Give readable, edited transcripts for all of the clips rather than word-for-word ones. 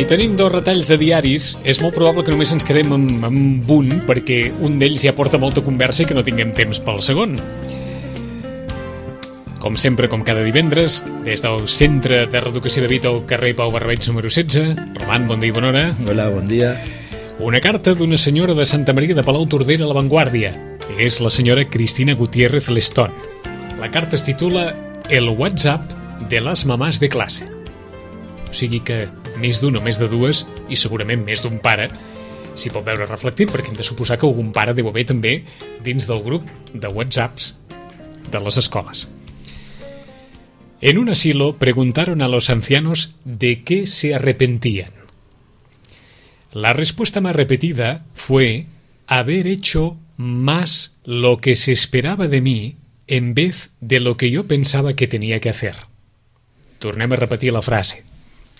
I tenim dos retalls de diaris. És molt probable que només ens quedem amb un, perquè un d'ells ja porta molta conversa i que no tinguem temps pel segon. Com sempre, com cada divendres, des del Centre de Reeducació de Vita al carrer Pau Barbeig número 16. Roman, bon dia i bona hora. Hola, bon dia. Una carta d'una senyora de Santa Maria de Palau Tordera a La Vanguardia. És la senyora Cristina Gutiérrez Lestón. La carta es titula El WhatsApp de les mamàs de classe. O sigui que més d'un o més de dues, i segurament més d'un pare, s'hi pot veure reflectit, perquè hem de suposar que algun pare deu haver també dins del grup de WhatsApps de les escoles. En un asilo preguntaron a los ancianos de qué se arrepentían. La respuesta más repetida fue haber hecho más lo que se esperaba de mí en vez de lo que yo pensaba que tenía que hacer. Tornem a repetir la frase.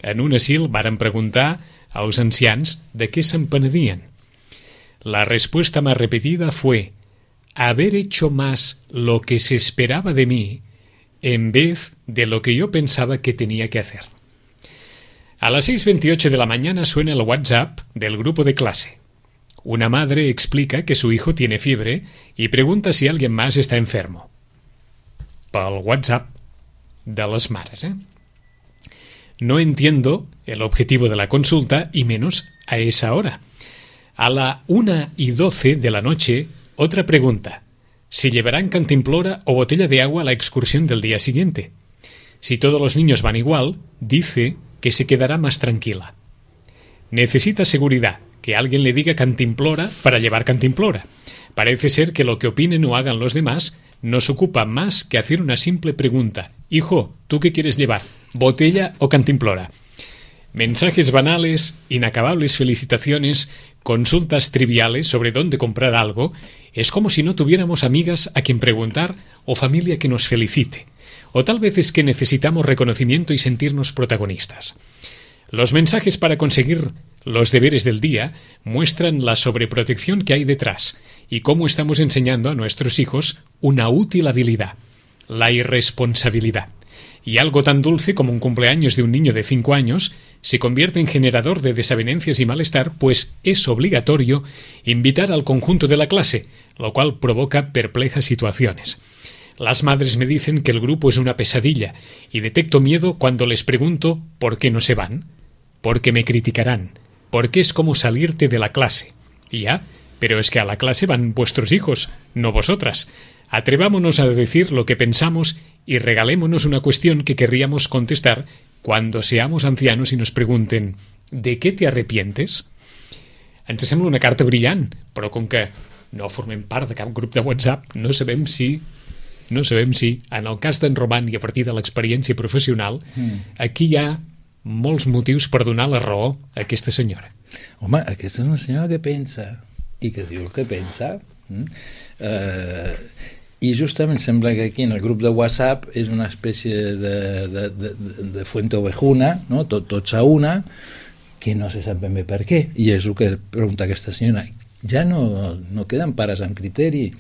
En un asil varen preguntar als ancians de què se'n penedien. La respuesta más repetida fue haber hecho más lo que se esperaba de mí en vez de lo que yo pensaba que tenía que hacer. A las 6:28 de la mañana suena el WhatsApp del grupo de clase. Una madre explica que su hijo tiene fiebre y pregunta si alguien más está enfermo. Pel WhatsApp de les mares, No entiendo el objetivo de la consulta y menos a esa hora. A la 1:12 de la noche, otra pregunta. Si llevarán cantimplora o botella de agua a la excursión del día siguiente. Si todos los niños van igual, dice que se quedará más tranquila. Necesita seguridad, que alguien le diga cantimplora para llevar cantimplora. Parece ser que lo que opinen o hagan los demás nos ocupa más que hacer una simple pregunta. Hijo, ¿tú qué quieres llevar? ¿Botella o cantimplora? Mensajes banales, inacabables felicitaciones, consultas triviales sobre dónde comprar algo. Es como si no tuviéramos amigas a quien preguntar o familia que nos felicite. O tal vez es que necesitamos reconocimiento y sentirnos protagonistas. Los mensajes para conseguir los deberes del día muestran la sobreprotección que hay detrás y cómo estamos enseñando a nuestros hijos una útil habilidad, la irresponsabilidad. Y algo tan dulce como un cumpleaños de un niño de 5 años se convierte en generador de desavenencias y malestar, pues es obligatorio invitar al conjunto de la clase, lo cual provoca perplejas situaciones. Las madres me dicen que el grupo es una pesadilla y detecto miedo cuando les pregunto por qué no se van, porque me criticarán, porque es como salirte de la clase. Y ya, pero es que a la clase van vuestros hijos, no vosotras. Atrevámonos a decir lo que pensamos y regalémonos una cuestión que querríamos contestar cuando seamos ancianos y nos pregunten ¿de què te arrepientes? Ens sembla una carta brillant, però com que no formem part de cap grup de WhatsApp, no sabem si, en el cas d'en Roman i a partir de l'experiència professional, aquí hi ha molts motius per donar la raó a aquesta senyora. Home, aquesta és una senyora que pensa i que diu el que pensa. I justament sembla que aquí en el grup de WhatsApp és una espècie de fuente ovejuna, no? Tots a una, que no se sap ben bé per què, i és el que pregunta aquesta senyora. Ja no queden pares amb criteri,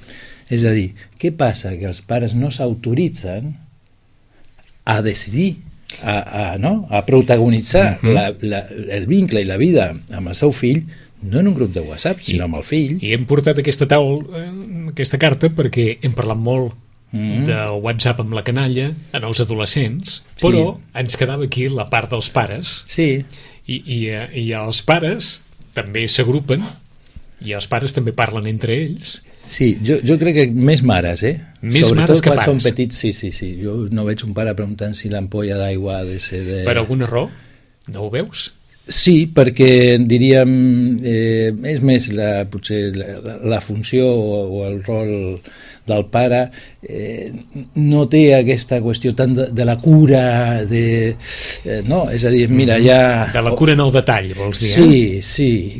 és a dir, què passa? Que els pares no s'autoritzen a decidir, a protagonitzar el vincle i la vida amb el seu fill, no en un grup de WhatsApp, sinó amb el fill. I hem portat aquesta carta perquè hem parlat molt del WhatsApp amb la canalla en els adolescents, però ens quedava aquí la part dels pares. Sí. I els pares també s'agrupen i els pares també parlen entre ells. Sí, jo crec que més mares, Més sobretot mares que quan pares. són petits, sí. Jo no veig un pare preguntant si l'ampolla d'aigua ha de ser de... Per alguna raó? No ho veus? Sí, perquè diríem és més potser la funció o el rol del pare no té aquesta qüestió tant de la cura no, és a dir, mira, ja... De la cura en el detall, vols dir, Sí,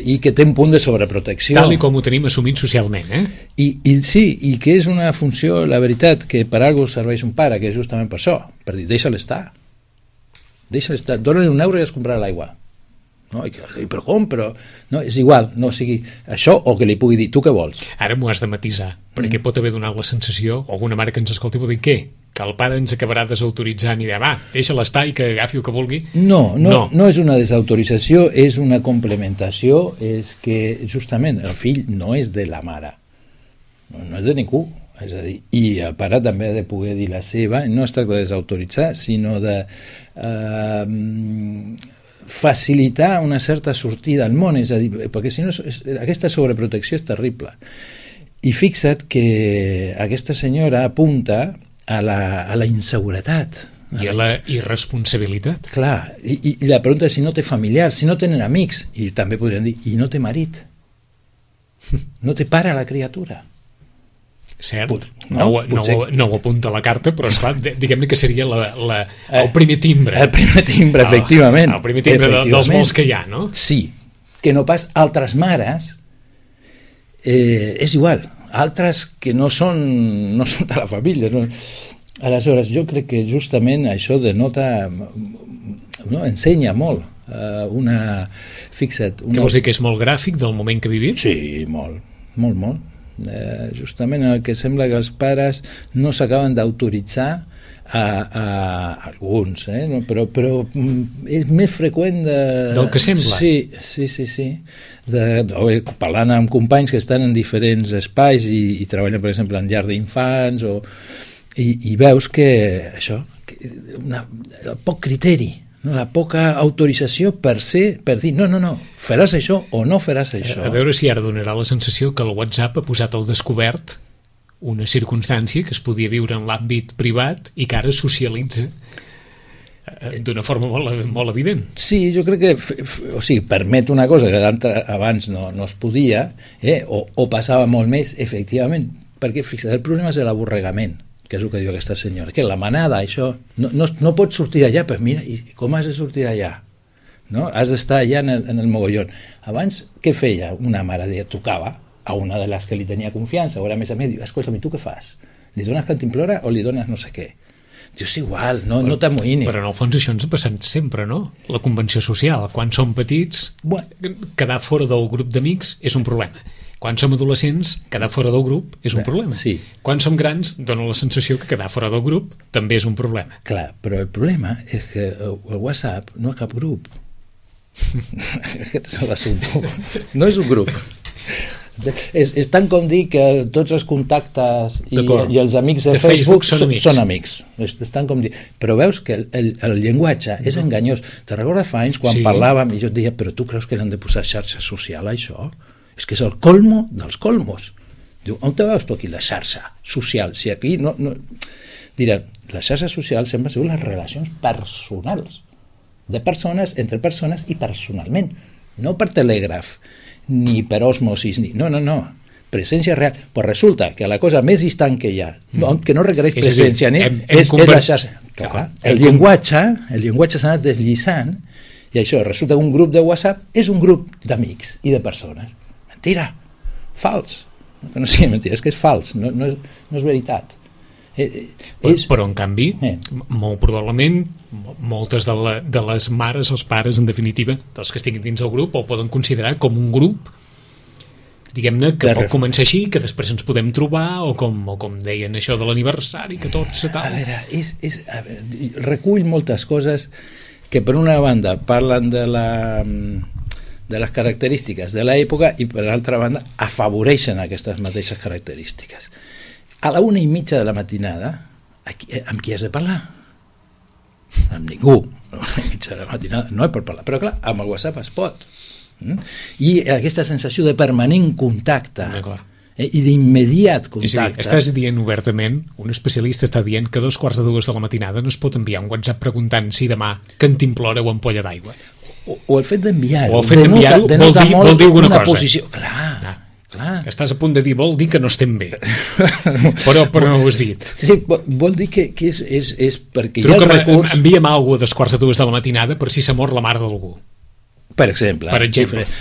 i que té un punt de sobreprotecció. Tal i com ho tenim assumit socialment, I que és una funció, la veritat, que per alguna cosa serveix un pare, que és justament per això, per dir, deixa-la estar, dona-li €1 i es comprarà l'aigua. no? Però com? Però no, és igual, no, o sigui, això, o que li pugui dir, tu què vols? Ara m'ho has de matisar, perquè pot haver donat la sensació, o alguna mare que ens escolti pot dir, què? Que el pare ens acabarà desautoritzant i dir, va, deixa-la estar i que agafi el que vulgui. No és una desautorització, és una complementació, és que justament el fill no és de la mare, no és de ningú. És a dir, i el pare també ha de poder dir la seva, no es tracta de desautoritzar, sinó de facilitar una certa sortida al món, és a dir, perquè si no, aquesta sobreprotecció és terrible. I fixa't que aquesta senyora apunta a la inseguretat. I a la irresponsabilitat. Clar, i la pregunta és si no té familiars, si no tenen amics, i també podrien dir, i no té marit, no té pare la criatura. Cert, no ho apunta a la carta, però esclar, diguem-ne que seria el primer timbre. El primer timbre, efectivament. El primer timbre dels molts que hi ha, no? Sí, que no pas altres mares, és igual, altres que no són de la família. No? Aleshores, jo crec que justament això denota, no, ensenya molt. Fixa't... Què vols dir, que és molt gràfic del moment que vivim? Sí, molt. Justament el que sembla que els pares no s'acaben d'autoritzar a alguns, però és més freqüent del que sembla. Sí. Parlant amb companys que estan en diferents espais i treballen, per exemple, en llar d'infants i veus que això, poc criteri, no, la poca autorització per dir no, faràs això o no faràs això. A veure si ara donarà la sensació que el WhatsApp ha posat al descobert una circumstància que es podia viure en l'àmbit privat i que ara socialitza d'una forma molt evident. Sí, jo crec que permet una cosa que abans no es podia, o passava molt més, efectivament, perquè fixa't, el problema és l'aborregament, que és el que diu aquesta senyora, que la manada, això, no pots sortir d'allà, però mira, i com has de sortir d'allà? No? Has d'estar allà en el mogollon. Abans, què feia? Una mare trucava a una de les que li tenia confiança, o era més a mi, diu, escolta'm, tu què fas? Li dones cantimplora o li dones no sé què? Dius, igual, no t'amoïni. Però en el fons això ens ha passat sempre, no? La convenció social. Quan som petits, quedar fora del grup d'amics és un problema. Quan som adolescents, quedar fora del grup és un problema. Sí. Quan som grans, dona la sensació que quedar fora del grup també és un problema. Clar, però el problema és que el WhatsApp no és cap grup. Aquest és l'assumpte. No és un grup. És tant com dir que tots els contactes i els amics de Facebook són amics. És tant com dir. Però veus que el llenguatge és enganyós. Te recordes fa anys quan parlàvem i jo et deia, però tu creus que l'han de posar xarxa social a això? És que és el colmo dels colmos. Diu, on te veus tu aquí la xarxa social? Si aquí no... Diran, la xarxa social sempre ha sigut les relacions personals, de persones, entre persones i personalment, no per telègraf, ni per osmosis, no, presència real. Però resulta que la cosa més distant que hi ha, que no requereix presència, és la xarxa. Clar, el llenguatge s'ha anat deslliçant i això, resulta que un grup de WhatsApp és un grup d'amics i de persones. Mentira, fals. No sigui mentira, és que és fals, no és veritat. Però en canvi, molt probablement, moltes de les mares, els pares, en definitiva, dels que estiguin dins el grup, el poden considerar com un grup, diguem-ne, que pot començar així, que després ens podem trobar, o com deien això de l'aniversari, que tot se tal. A veure, recull moltes coses que per una banda parlen de les característiques de l'època i per l'altra banda afavoreixen aquestes mateixes característiques. A la 1:30 de la matinada, amb qui has de parlar? Amb ningú. A la 1:30 de la matinada no hi pot parlar, però clar, amb el WhatsApp es pot. I aquesta sensació de permanent contacte i d'immediat contacte. Estàs dient obertament, un especialista està dient que a 2:45 de la matinada no es pot enviar un WhatsApp preguntant si demà cantimplora o ampolla d'aigua. O el fet d'enviar-ho denota molt una posició. Clar. Estàs a punt de dir, vol dir que no estem bé. però no ho has dit. Sí, vol dir que és perquè hi ha el recurs... Envia'm alguna cosa a 2:45 de la matinada per si s'ha mort la mare d'algú. Per exemple.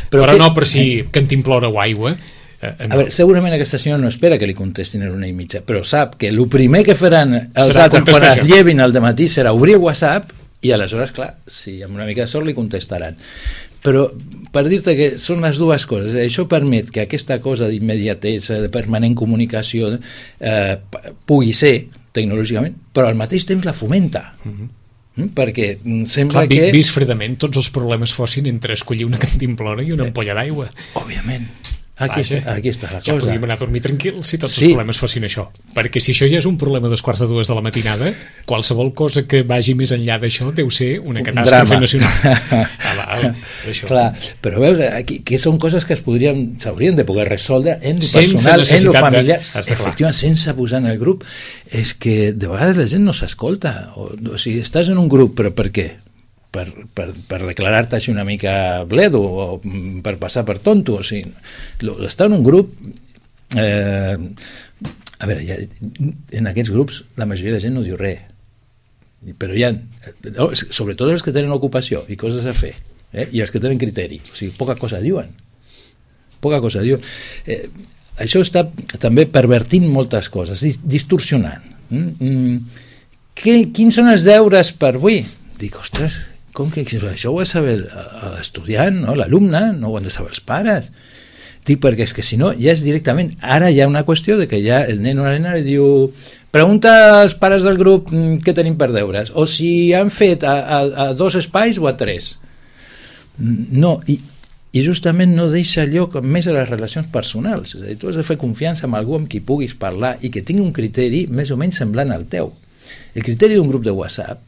Però no per si cantimplora o aigua. A veure, segurament aquesta senyora no espera que li contestin a la 1:30, però sap que el primer que faran els altres quan es llevin al dematí serà obrir WhatsApp i aleshores, clar, si amb una mica de sort li contestaran. però per dir-te que són les dues coses. Això permet que aquesta cosa d'immediatesa, de permanent comunicació, pugui ser tecnològicament, però al mateix temps la fomenta. Perquè sembla que... Vist fredament, tots els problemes fossin entre escollir una cantimplora i una ampolla d'aigua. Òbviament. Aquí està la cosa. Ja podríem anar a dormir tranquils si tots els problemes fossin això. Perquè si això ja és un problema dels 1:45 de la matinada, qualsevol cosa que vagi més enllà d'això deu ser una catàstrofe nacional. Clar, però veus, aquí, que són coses que s'haurien de poder resoldre en lo personal, en lo familiar, efectivament, sense posar en el grup. És que de vegades la gent no s'escolta. O sigui, estàs en un grup, però per què? Per declarar-te així una mica bledo o per passar per tonto. O sigui, estar en un grup a veure, en aquests grups la majoria de gent no diu res, però hi ha sobretot els que tenen ocupació i coses a fer, i els que tenen criteri, o sigui, poca cosa diuen. Això està també pervertint moltes coses, distorsionant. Quins són els deures per avui? Dic, ostres, com que això ho ha de saber l'estudiant, no? L'alumne, no ho han de saber els pares. Dic, perquè és que si no, ja és directament, ara hi ha una qüestió de que ja el nen o la nena li diu, pregunta als pares del grup què tenim per deures, o si han fet a 2 espais o a 3. No, i justament no deixa lloc més a les relacions personals. És a dir, tu has de fer confiança en algú amb qui puguis parlar i que tingui un criteri més o menys semblant al teu. El criteri d'un grup de WhatsApp,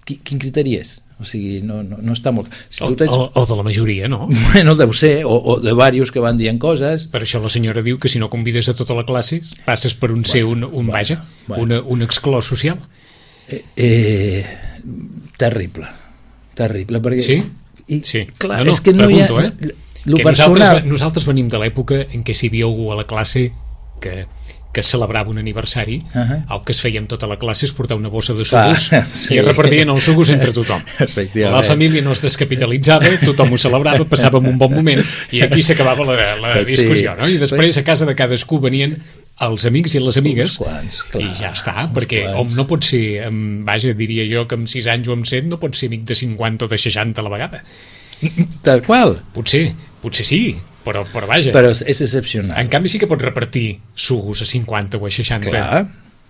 quin criteri és? O sigui, no està molt... Si o de la majoria, no? Bueno, deu ser, o de diversos que van dient coses. Per això la senyora diu que si no convides a tota la classe passes per un un exclòs social. Terrible, perquè... Sí? Sí. Clar, és que no pregunto, hi ha... Nosaltres venim de l'època en què si hi havia algú a la classe que celebrava un aniversari, el que es feia amb tota la classe es portar una bossa de sucos i es repartien els sucos entre tothom. La família no es descapitalitzava, tothom ho celebrava, passàvem un bon moment i aquí s'acabava la discussió, no? I després a casa de cadascú venien els amics i les amigues i ja està, perquè no pot ser, vaja, diria jo que amb 6 anys o amb 7 no pot ser amic de 50 o de 60 a la vegada. Tal qual. Potser sí, però vaja. Però és excepcional. En canvi sí que pots repartir sucos a 50 o a 60. Clar.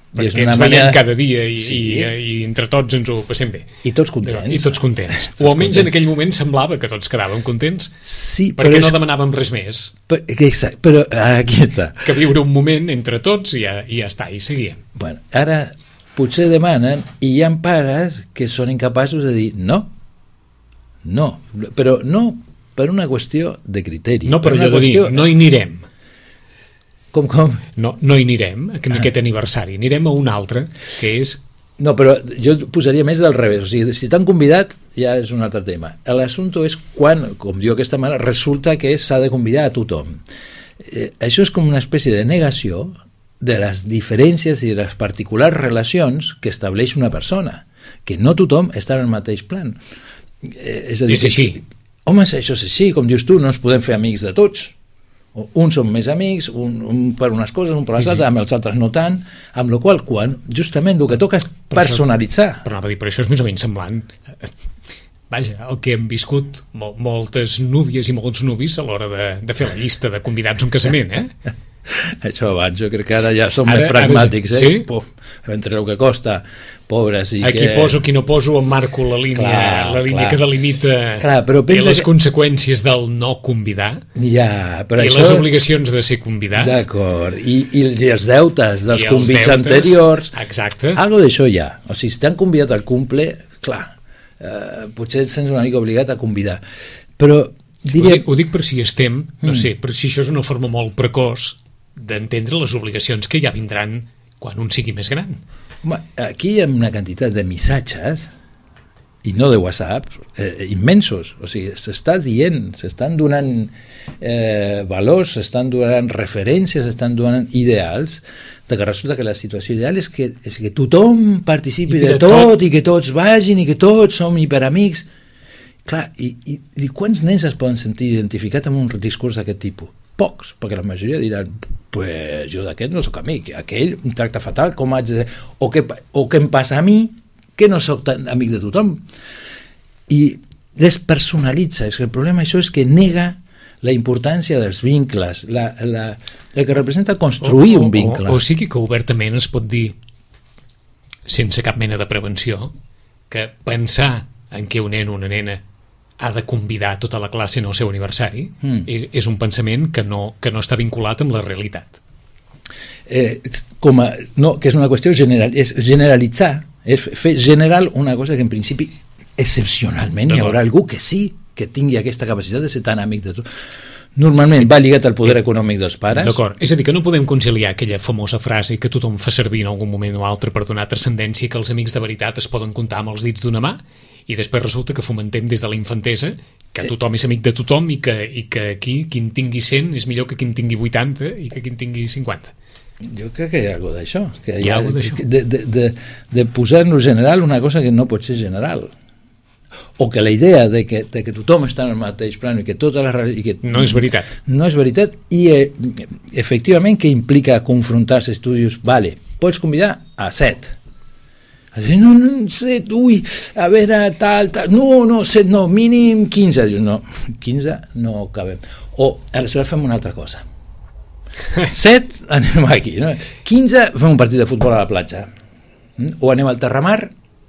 Perquè ens veiem cada dia i entre tots ens ho passem bé. I tots contents. O almenys en aquell moment semblava que tots quedàvem contents, sí, perquè no demanàvem res més. Exacte, però aquí està. Que viure un moment entre tots i ja està, i seguíem. Bueno, ara potser demanen i hi ha pares que són incapaços de dir no, però no per una qüestió de criteri. No, però allò de dir, no hi anirem. Com? No hi anirem en aquest aniversari, anirem a un altre, que és... No, però jo posaria més del revés. O sigui, si t'han convidat, ja és un altre tema. L'assumpte és quan, com diu aquesta mare, resulta que s'ha de convidar a tothom. Això és com una espècie de negació de les diferències i de les particulars relacions que estableix una persona, que no tothom està en el mateix plan. És a dir, és així. Home, això és així, com dius tu, no ens podem fer amics de tots. Uns són més amics, un per unes coses, un per les altres, amb els altres no tant, amb la qual quan justament el que toca és personalitzar. Però anava a dir, però això és més o menys semblant. Vaja, el que hem viscut moltes núvies i molts nuvis a l'hora de fer la llista de convidats a un casament, Això abans, jo crec que ara ja som més pragmàtics, Sí? Entre el que costa, pobres i aquí que... poso, aquí no poso, emmarco la línia que delimita les conseqüències del no convidar i les obligacions de ser convidat. D'acord, i els deutes dels convits anteriors. Exacte. Algo d'això hi ha. O sigui, si t'han convidat al cumple, clar, potser et sents una mica obligat a convidar. Però ho dic per si estem, no sé, per si això és una forma molt precoç d'entendre les obligacions que ja vindran quan un sigui més gran. Aquí hi ha una quantitat de missatges, i no de WhatsApp, immensos. O sigui, s'està dient, s'estan donant valors, s'estan donant referències, s'estan donant ideals, de que resulta que la situació ideal és que tothom participi de tot i que tots vagin i que tots som hiperamics. Clar, i quants nens es poden sentir identificats amb un discurs d'aquest tipus? Pocs, perquè la majoria diran pues jo d'aquest no soc amic, aquell em tracta fatal, com haig de... o què em passa a mi que no soc tan amic de tothom. I despersonalitza. És que el problema això és que nega la importància dels vincles, el que representa construir un vincle. O sigui que obertament es pot dir, sense cap mena de prevenció, que pensar en què un nen o una nena ha de convidar tota la classe en el seu aniversari és un pensament que no està vinculat amb la realitat. No, que és una qüestió és generalitzar, és fer general una cosa que en principi excepcionalment hi haurà algú que sí, que tingui aquesta capacitat de ser tan amic de tot. Normalment va lligat al poder econòmic dels pares. D'acord, és a dir, que no podem conciliar aquella famosa frase que tothom fa servir en algun moment o altre per donar transcendència, que els amics de veritat es poden comptar amb els dits d'una mà, i després resulta que fomentem des de la infantesa que tothom és amic de tothom i que aquí quin tingui 100 és millor que quin tingui 80 i que quin tingui 50. Jo crec que hi ha alguna d'això, que hi ha de posar-nos general una cosa que no pot ser general, o que la idea de que tothom està en el mateix plan i que tota la no és veritat. No és veritat, i efectivament que implica confrontar els estudis. Vale, pots convidar a 7. No, 7, ui, a veure, tal, no, 7 no, mínim 15. Dius, no, 15 no cabem. O aleshores fem una altra cosa. 7, anem aquí, no? 15, fem un partit de futbol a la platja. O anem al Terramar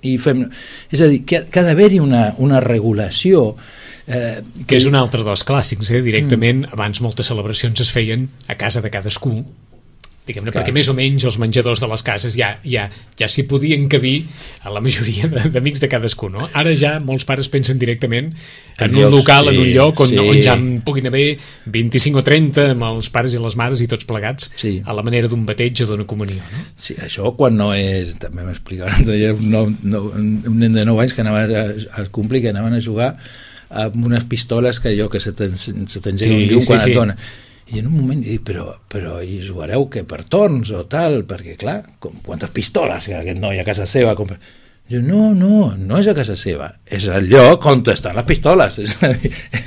i fem... És a dir, que ha d'haver-hi una regulació que és un altre dels clàssics, directament abans moltes celebracions es feien a casa de cadascú, diguem-ne, perquè més o menys els menjadors de les cases ja s'hi podien cabir a la majoria d'amics de cadascú, no? Ara ja molts pares pensen directament en un local, en un lloc on ja puguin haver 25 o 30 amb els pares i les mares i tots plegats a la manera d'un bateig o d'una comunió, no? Sí, això quan no és... També m'explicava l'altre dia un nen de 9 anys que anava al Compli, que anaven a jugar amb unes pistoles que allò que se t'engega un llum quan et dona. I en un moment dic, però hi jugareu que per torns o tal, perquè clar, quantes pistoles hi ha aquest noi a casa seva? Diu, no és a casa seva, és el lloc on estan les pistoles,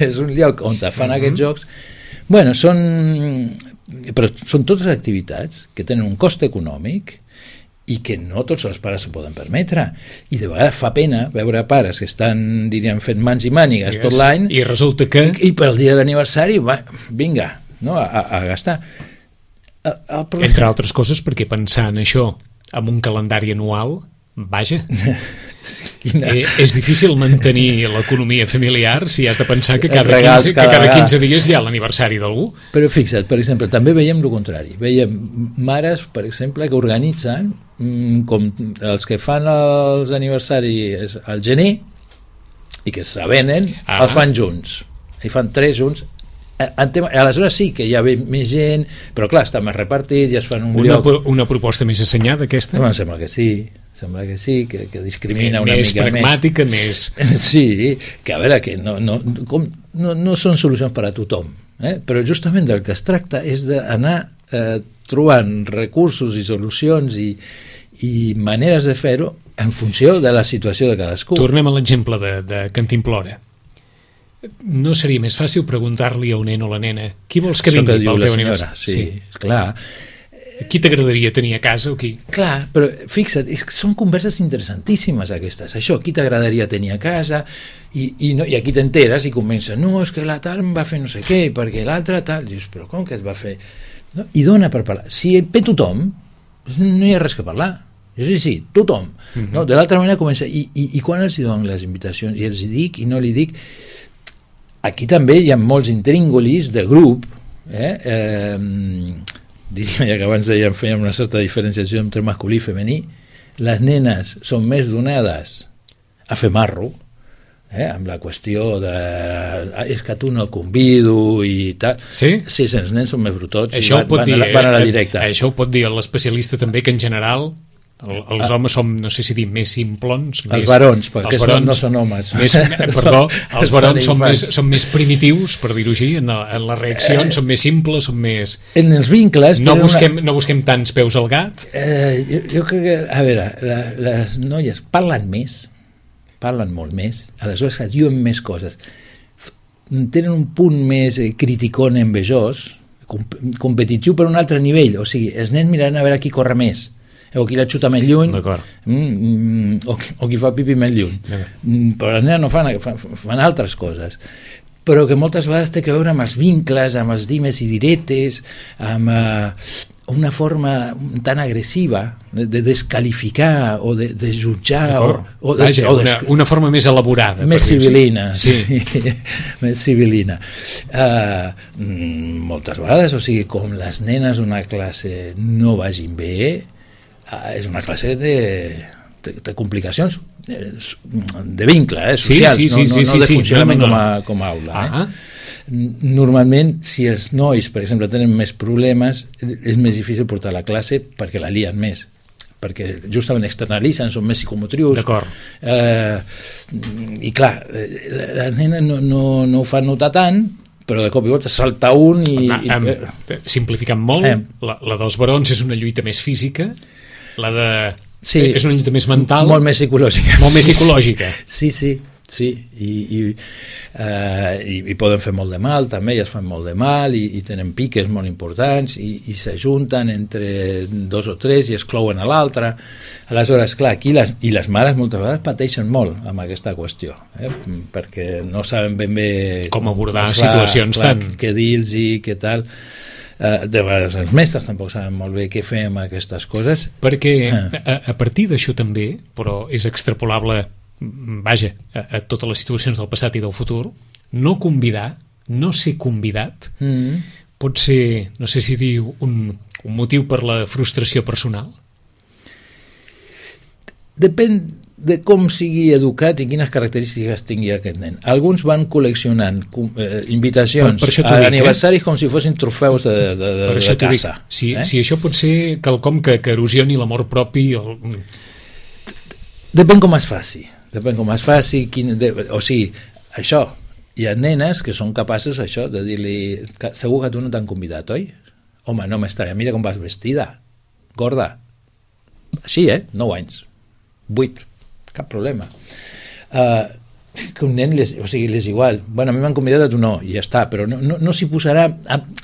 és un lloc on fan aquests jocs. Bueno, són totes activitats que tenen un cost econòmic i que no tots els pares s'ho poden permetre, i de vegades fa pena veure pares que estan, diríem, fent mans i mànigues tot l'any i resulta que... I pel dia de l'aniversari, vinga, no, a gastar. Entre altres coses perquè pensar en això amb un calendari anual, vaja, és difícil mantenir l'economia familiar si has de pensar que cada 15 dies hi ha l'aniversari d'algú. Però fixa't, per exemple, també veiem el contrari. Veiem mares, per exemple, que organitzen com els que fan els aniversaris al gener i que s'avenen, els fan junts. I fan 3 junts. Aleshores sí que hi ha més gent, però clar, està més repartit i es fan un lloc. Una proposta més assenyada, aquesta? Em sembla que sí, que discrimina una mica més. Més pragmàtica, més... Sí, que a veure, que no són solucions per a tothom, però justament del que es tracta és d'anar trobant recursos i solucions i maneres de fer-ho en funció de la situació de cadascú. Tornem a l'exemple de Cantimplora. No seria més fàcil preguntar-li a un nen o la nena qui vols que vingui pel teu aniversari? Sí, clar. Qui t'agradaria tenir a casa o qui? Clar, però fixa't, són converses interessantíssimes aquestes. Això, qui t'agradaria tenir a casa? I aquí t'enteres i comença, no, és que la tal em va fer no sé què, perquè l'altra tal. Dius, però com que et va fer? No? I dona per parlar. Si ve tothom, no hi ha res que parlar. Sí, tothom. No? De l'altra manera comença, i quan els dono les invitacions? I els dic i no li dic. Aquí també hi ha molts intríngulis de grup, diria, ja que abans fèiem una certa diferenciació entre masculí i femení. Les nenes són més donades a fer marro, amb la qüestió de és que tu no el convido i tal. Sí? Sí, els nens són més brutots i van a la directa. Això ho pot dir l'especialista també, que en general els homes som, no sé si dir, més simplons. Els barons, perquè no són homes. Perdó, els barons són més primitius, per dir-ho així, en les reaccions, són més simples, són més... En els vincles... No busquem tants peus al gat. Jo crec que, a veure, les noies parlen molt més, aleshores diuen més coses. Tenen un punt més criticón, envejós, competitiu per un altre nivell, o sigui, els nens miraran a veure qui corre més. o qui la xuta més lluny, o qui fa pipi més lluny. Però les nenes no fan altres coses, però que moltes vegades té a veure amb els vincles, amb els dimes i diretes, amb una forma tan agressiva de descalificar o de jutjar una forma més elaborada, més civilina, sí. Més civilina. Moltes vegades, o sigui, com les nenes d'una classe no vagin bé, és una classe de complicacions de vincle, socials, no de funcionament com a aula. Normalment, si els nois, per exemple, tenen més problemes, és més difícil portar a la classe perquè la lien més, perquè justament externalitzen, són més psicomotrius. I clar, les nenes no ho fan notar tant, però de cop i volta salta un i... Simplificant molt, la dels barons és una lluita més física, la de... Sí, és una lluita més mental, molt més psicològica. Sí, i poden fer molt de mal, també elles fan molt de mal i tenen piques molt importants i s'ajunten entre dos o tres i exclouen a l'altre. Aleshores, clar, aquí les mares moltes vegades pateixen molt amb aquesta qüestió, perquè no saben ben bé com abordar situacions tan... què dir-los i què tal. De vegades els mestres tampoc saben molt bé què fer amb aquestes coses, perquè a partir d'això també, però és extrapolable, vaja, a totes les situacions del passat i del futur, no convidar, no ser convidat, pot ser, no sé si dir un motiu per la frustració personal? Depèn de com sigui educat i quines característiques tingui aquest nen. Alguns van col·leccionant invitacions a aniversaris com si fossin trofeus de casa. Si això pot ser quelcom que erosioni l'amor propi... Depèn com es faci. O sigui, això, hi ha nenes que són capaces això de dir-li, segur que tu no t'han convidat, oi? Home, no m'estaré, mira com vas vestida, gorda. Així, 9 anys, 8, cap problema. Que un nen, o sigui, és igual. Bueno, a mi m'han convidat, a tu no, i ja està, però no s'hi posarà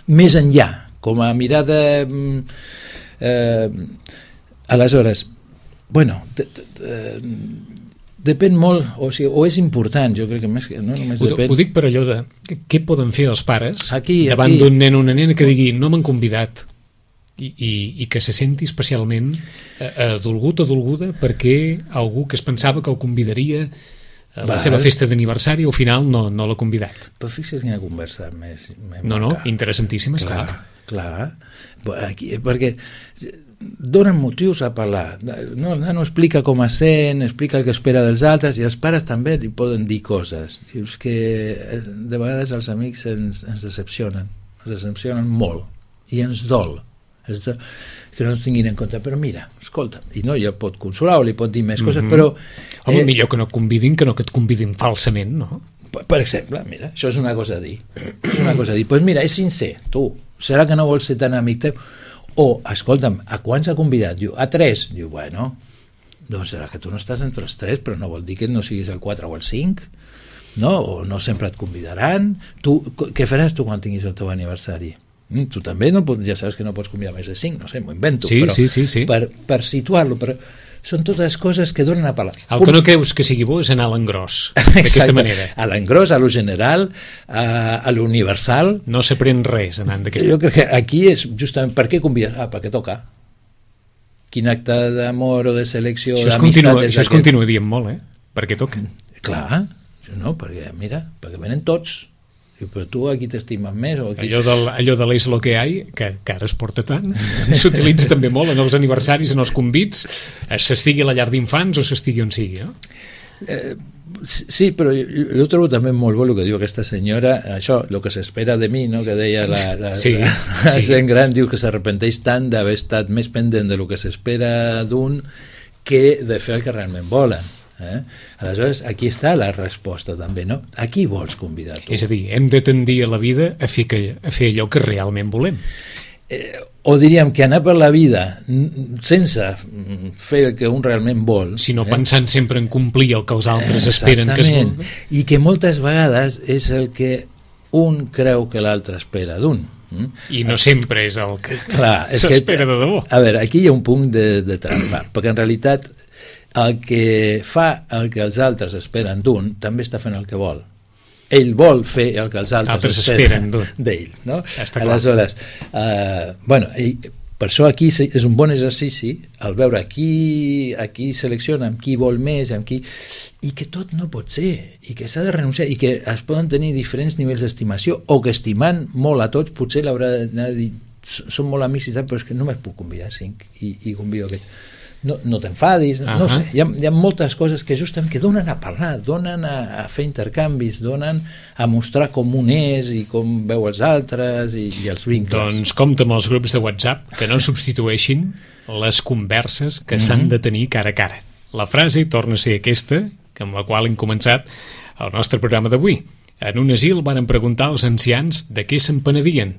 més enllà, com a mirada... Aleshores, bueno... Depèn molt, o és important, jo crec que més que no només depèn. Ho dic per allò de què poden fer els pares davant d'un nen o una nena que digui no m'han convidat i que se senti especialment dolgut o dolguda perquè algú que es pensava que el convidaria a la seva festa d'aniversari al final no l'ha convidat. Però fixa't quina conversa més no, interessantíssima, clar. Aquí, perquè donen motius a parlar. No explica com es sent, explica el que espera dels altres, i els pares també li poden dir coses. Dius que de vegades els amics ens decepcionen molt, i ens dol que no ens tinguin en compte, però mira, escolta, i no, ja pot consolar o li pot dir més coses, però... Home, millor que no et convidin que no que et convidin falsament, no? Per exemple, mira, això és una cosa a dir. Pues mira, és sincer, tu, serà que no vols ser tan amic teu? O, escolta'm, a quants ha convidat? Diu, a 3. Diu, bueno, doncs serà que tu no estàs entre els 3, però no vol dir que no siguis el 4 o el 5, no? O no sempre et convidaran. Tu, què faràs tu quan tinguis el teu aniversari? Tu també ja saps que no pots convidar més de 5, no sé, m'ho invento. Sí, però sí. Per situar-lo, però són totes coses que donen a parlar. El que no creus que sigui bo és anar a l'engròs, d'aquesta manera. A l'engròs, a lo general, a l'universal. No s'aprèn res anant d'aquesta manera. Jo crec que aquí és justament per què convides? Perquè toca. Quin acte d'amor o de selecció, d'amistat... Això es continua dient molt, perquè toca. Clar, no, perquè mira, perquè venen tots. Però tu aquí t'estimes més o aquí... Allò de l'és lo que hay, que ara es porta tant, s'utilitza també molt en els aniversaris, en els convits, s'estigui a la llar d'infants o s'estigui on sigui, no? Sí, però jo trobo també molt bo el que diu aquesta senyora, això, el que s'espera de mi, no? Que deia la gent gran, diu que s'arrepenteix tant d'haver estat més pendent de lo que s'espera d'un que de fer el que realment volen. Aleshores, aquí està la resposta també, no? A qui vols convidar tu? És a dir, hem de tendir a la vida a fer allò que realment volem. O diríem que anar per la vida sense fer el que un realment vol, sinó pensant sempre en complir el que els altres esperen que es vulgui. I que moltes vegades és el que un creu que l'altre espera d'un. I no sempre és el que s'espera de debò. A veure, aquí hi ha un punt de trampa, perquè en realitat el que fa el que els altres esperen d'un també està fent el que vol. Ell vol fer el que els altres esperen d'ell, no? Aleshores, per això aquí és un bon exercici el veure qui selecciona, amb qui vol més, amb qui... i que tot no pot ser, i que s'ha de renunciar, i que es poden tenir diferents nivells d'estimació, o que estimant molt a tots potser l'haurà d'anar a dir som molt amics i tal, però és que només puc convidar 5 i convido aquests. No t'enfadis, no sé, hi ha moltes coses que justament que donen a parlar, donen a fer intercanvis, donen a mostrar com un és i com veu els altres i els vincles. Doncs compta amb els grups de WhatsApp que no substitueixin les converses que s'han de tenir cara a cara. La frase torna a ser aquesta, amb la qual hem començat el nostre programa d'avui. En un asil van preguntar als ancians de què se'n penedien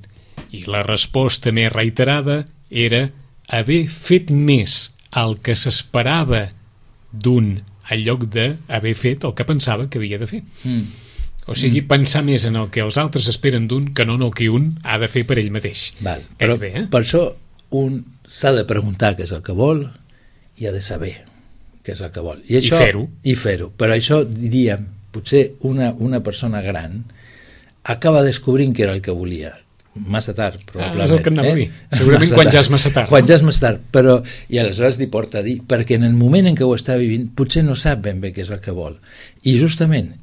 i la resposta més reiterada era haver fet més el que s'esperava d'un en lloc d'haver fet el que pensava que havia de fer. O sigui, pensar més en el que els altres esperen d'un que no en el que un ha de fer per ell mateix. Però per això un s'ha de preguntar què és el que vol i ha de saber què és el que vol. I fer-ho. Però això, diríem, potser una persona gran acaba descobrint què era el que volia. Massa tard, probablement. És el que anava a dir. Segurament quan ja és massa tard. Quan ja és massa tard, però i aleshores li porta a dir, perquè en el moment en què ho està vivint potser no sap ben bé què és el que vol. I justament,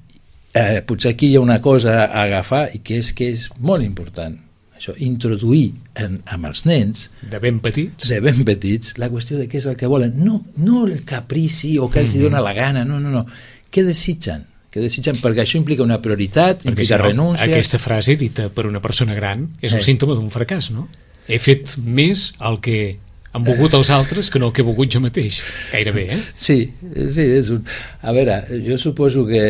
potser aquí hi ha una cosa a agafar i que és molt important. Això, introduir amb els nens de ben petits la qüestió de què és el que volen, no el caprici o que els dona la gana, no. Què desitgen? Perquè això implica una prioritat, implica renúncia. Aquesta frase dita per una persona gran és un símptoma d'un fracàs, no? He fet més el que han volgut els altres que no el que he volgut jo mateix, gairebé, Sí, és un... A veure, jo suposo que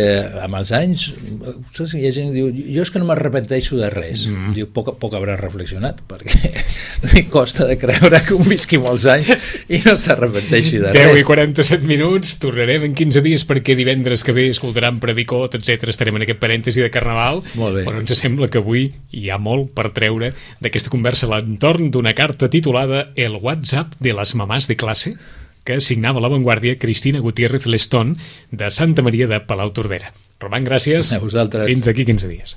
amb els anys hi ha gent que diu, jo és que no m'arrepenteixo de res. Diu, poc haurà reflexionat, perquè costa de creure que un visqui molts anys i no s'arrepenteixi de res. 10 i 47 minuts, tornarem en 15 dies perquè divendres que ve escoltaran Predicot, etc. Estarem en aquest parèntesi de Carnaval, però ens sembla que avui hi ha molt per treure d'aquesta conversa a l'entorn d'una carta titulada El WhatsApp de las mamás de clase, que signava a La Vanguardia Cristina Gutiérrez Lestón de Santa Maria de Palautordera. Roman, gràcies. A vosaltres. Fins d'aquí 15 dies.